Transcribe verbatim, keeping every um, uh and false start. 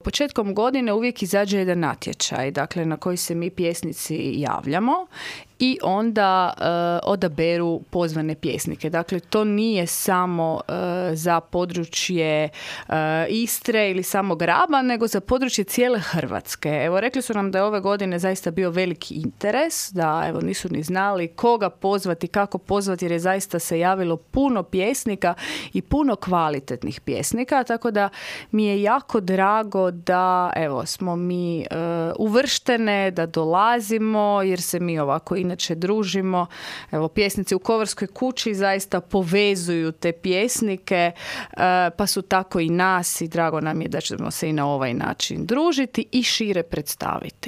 Početkom godine uvijek izađe jedan natječaj, dakle na koji se mi pjesnici javljamo i onda uh, odaberu pozvane pjesnike. Dakle, to nije samo uh, za područje uh, Istre ili samog Raba, nego za područje cijele Hrvatske. Evo, rekli su nam da je ove godine zaista bio veliki interes, da evo nisu ni znali koga pozvati, kako pozvati, jer je zaista se javilo puno pjesnika i puno kvalitetnih pjesnika, tako da mi je jako drago da evo smo mi uh, uvrštene, da dolazimo, jer se mi ovako inače družimo. Evo, pjesnici u Kovarskoj kući zaista povezuju te pjesnike, uh, pa su tako i nas i drago nam je da ćemo se i na ovaj način družiti i šire predstaviti.